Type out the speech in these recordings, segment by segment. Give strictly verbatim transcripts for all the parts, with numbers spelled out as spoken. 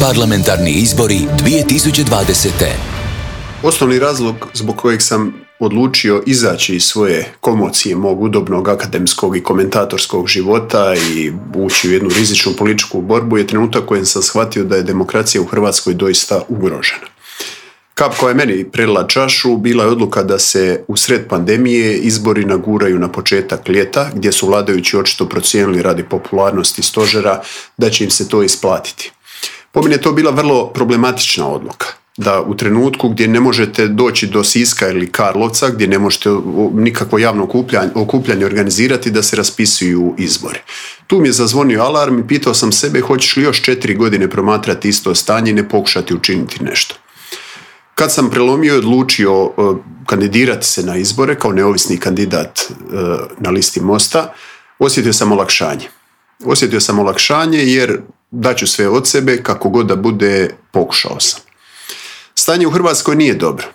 Parlamentarni izbori dvije tisuće dvadesete. Osnovni razlog zbog kojeg sam odlučio izaći iz svoje komocije mog udobnog akademskog i komentatorskog života i ući u jednu rizičnu političku borbu je trenutak kojem sam shvatio da je demokracija u Hrvatskoj doista ugrožena. Kap koja je meni prelila čašu bila je odluka da se u sred pandemije izbori naguraju na početak ljeta, gdje su vladajući očito procijenili radi popularnosti stožera da će im se to isplatiti. Po meni je to bila vrlo problematična odluka, da u trenutku gdje ne možete doći do Siska ili Karlovca, gdje ne možete nikakvo javno okupljanje, okupljanje organizirati, da se raspisuju izbori. Tu mi je zazvonio alarm i pitao sam sebe hoćeš li još četiri godine promatrati isto stanje i ne pokušati učiniti nešto. Kad sam prelomio i odlučio uh, kandidirati se na izbore kao neovisni kandidat uh, na listi Mosta, osjetio sam olakšanje. Osjetio sam olakšanje jer daću sve od sebe, kako god da bude, pokušao sam. Stanje u Hrvatskoj nije dobro.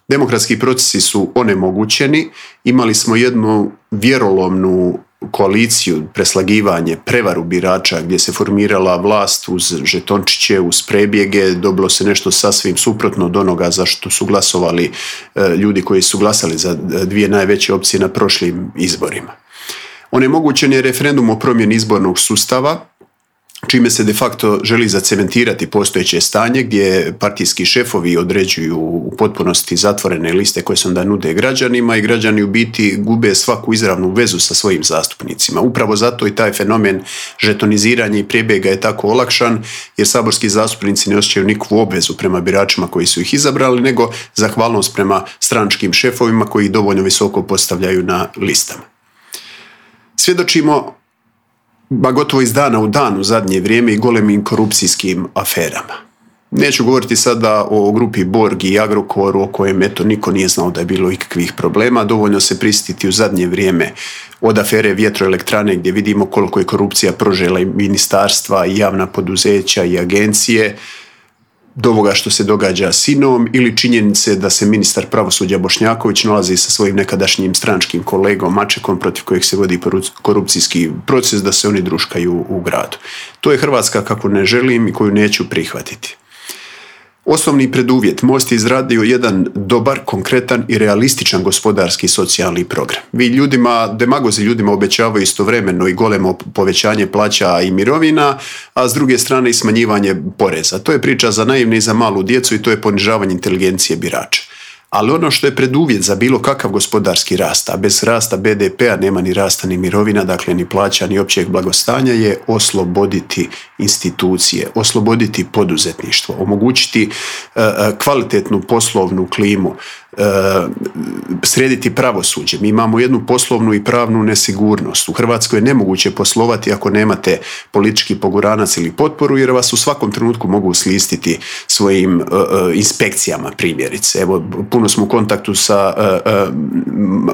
Demokratski procesi su onemogućeni. Imali smo jednu vjerolomnu koaliciju, preslagivanje, prevaru birača gdje se formirala vlast uz žetončiće, uz prebjege, dobilo se nešto sasvim suprotno od onoga za što su glasovali e, ljudi koji su glasali za dvije najveće opcije na prošlim izborima. Onemogućen je referendum o promjeni izbornog sustava, čime se de facto želi zacementirati postojeće stanje gdje partijski šefovi određuju u potpunosti zatvorene liste koje se onda nude građanima i građani u biti gube svaku izravnu vezu sa svojim zastupnicima. Upravo zato i taj fenomen žetoniziranja i prebjega je tako olakšan jer saborski zastupnici ne osjećaju nikakvu obvezu prema biračima koji su ih izabrali, nego zahvalnost prema stranačkim šefovima koji ih dovoljno visoko postavljaju na listama. Svjedočimo ba gotovo iz dana u dan u zadnje vrijeme i golemim korupcijskim aferama. Neću govoriti sada o grupi Borg i Agrokoru o kojem eto niko nije znao da je bilo ikakvih problema. Dovoljno se prisjetiti u zadnje vrijeme od afere vjetroelektrane gdje vidimo koliko je korupcija prožela i ministarstva i javna poduzeća i agencije, do ovoga što se događa s Inom ili činjenice da se ministar pravosuđa Bošnjaković nalazi sa svojim nekadašnjim stranačkim kolegom Mačekom protiv kojeg se vodi korupcijski proces, da se oni druškaju u gradu. To je Hrvatska kakvu ne želim i koju neću prihvatiti. Osnovni preduvjet, Most je izradio jedan dobar, konkretan i realističan gospodarski i socijalni program. Vi ljudima, demagozi ljudima obećavaju istovremeno i golemo povećanje plaća i mirovina, a s druge strane i smanjivanje poreza. To je priča za naivne i za malu djecu i to je ponižavanje inteligencije birača. Ali ono što je preduvjet za bilo kakav gospodarski rast, a bez rasta be de pea nema ni rasta ni mirovina, dakle ni plaća ni općeg blagostanja, je osloboditi institucije, osloboditi poduzetništvo, omogućiti uh, kvalitetnu poslovnu klimu, uh, srediti pravosuđe. Mi imamo jednu poslovnu i pravnu nesigurnost. U Hrvatskoj je nemoguće poslovati ako nemate politički poguranac ili potporu jer vas u svakom trenutku mogu slistiti svojim uh, uh, inspekcijama primjerice. Evo, puno smo u kontaktu sa uh, uh,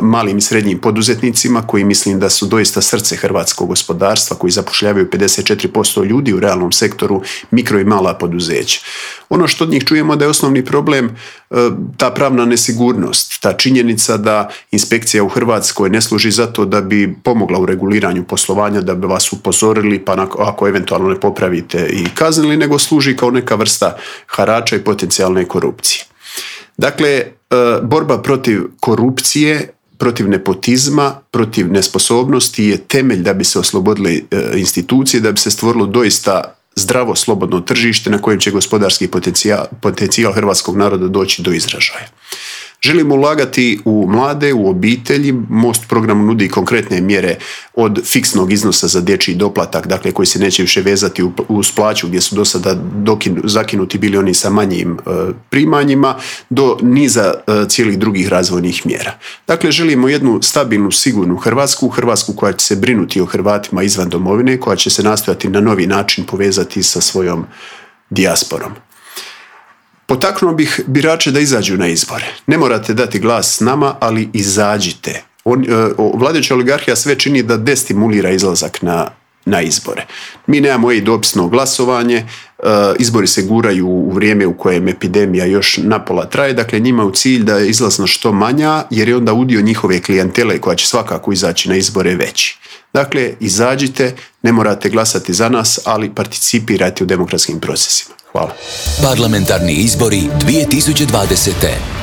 malim i srednjim poduzetnicima koji mislim da su doista srce hrvatskog gospodarstva, koji zapošljavaju pedeset četiri posto ljudi u realnom sektoru, mikro i mala poduzeća. Ono što od njih čujemo da je osnovni problem uh, ta pravna nesigurnost, ta činjenica da inspekcija u Hrvatskoj ne služi za to da bi pomogla u reguliranju poslovanja, da bi vas upozorili pa ako eventualno ne popravite i kaznili, nego služi kao neka vrsta harača i potencijalne korupcije. Dakle, borba protiv korupcije, protiv nepotizma, protiv nesposobnosti je temelj da bi se oslobodile institucije, da bi se stvorilo doista zdravo, slobodno tržište na kojem će gospodarski potencijal, potencijal hrvatskog naroda doći do izražaja. Želimo ulagati u mlade, u obitelji. Most program nudi konkretne mjere od fiksnog iznosa za dječji doplatak, dakle koji se neće više vezati uz plaću gdje su do sada zakinuti bili oni sa manjim e, primanjima, do niza e, cijelih drugih razvojnih mjera. Dakle, želimo jednu stabilnu, sigurnu Hrvatsku, Hrvatsku koja će se brinuti o Hrvatima izvan domovine, koja će se nastojati na novi način povezati sa svojom dijasporom. Potaknuo bih birače da izađu na izbore. Ne morate dati glas nama, ali izađite. On, vladajuća oligarhija sve čini da destimulira izlazak na, na izbore. Mi nemamo i dopisno glasovanje, izbori se guraju u vrijeme u kojem epidemija još napola traje, dakle njima je u cilj da je izlaznost što manja, jer je onda udio njihove klijentele koja će svakako izaći na izbore veći. Dakle, izađite, ne morate glasati za nas, ali participirajte u demokratskim procesima. Hvala. Parlamentarni izbori dvije tisuće dvadesete.